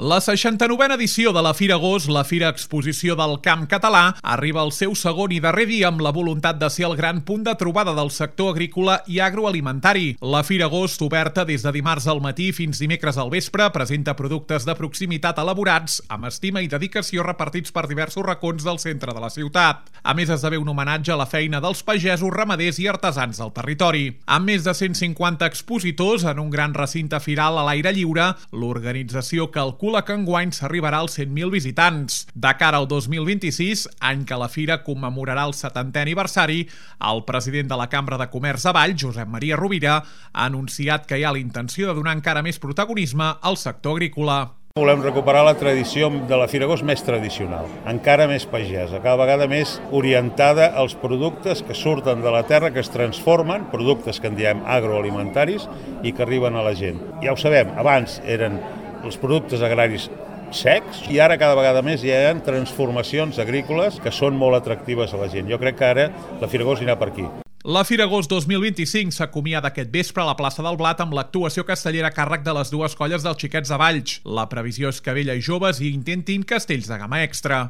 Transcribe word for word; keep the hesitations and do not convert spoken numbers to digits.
La seixanta-novena edició de la Fira Agost, la Fira Exposició del Camp Català, arriba al seu segon i darrer dia amb la voluntat de ser el gran punt de trobada del sector agrícola i agroalimentari. La Fira Agost, oberta des de dimarts al matí fins dimecres al vespre, presenta productes de proximitat elaborats, amb estima i dedicació repartits per diversos racons del centre de la ciutat. A més, esdevé un homenatge a la feina dels pagesos, ramaders i artesans del territori. Amb més de cent cinquanta expositors en un gran recinte firal a l'aire lliure, l'organització calcula que enguany s'arribarà als cent mil visitants. De cara al dos mil vint-i-sis, any que la fira commemorarà el setantè aniversari, el president de la Cambra de Comerç de Valls, Josep Maria Rovira, ha anunciat que hi ha la intenció de donar encara més protagonisme al sector agrícola. Volem recuperar la tradició de la Fira Agost més tradicional, encara més pagesa, cada vegada més orientada als productes que surten de la terra, que es transformen, productes que en diem agroalimentaris i que arriben a la gent. Ja ho sabem, abans eren els productes agraris secs i ara cada vegada més hi ha transformacions agrícoles que són molt atractives a la gent. Jo crec que ara la Fira Agost anirà per aquí. La Fira Agost dos mil vint-i-cinc s'acomiada aquest vespre a la plaça del Blat amb l'actuació castellera a càrrec de les dues colles dels Xiquets de Valls. La previsió és que vella i joves hi intentin castells de gamma extra.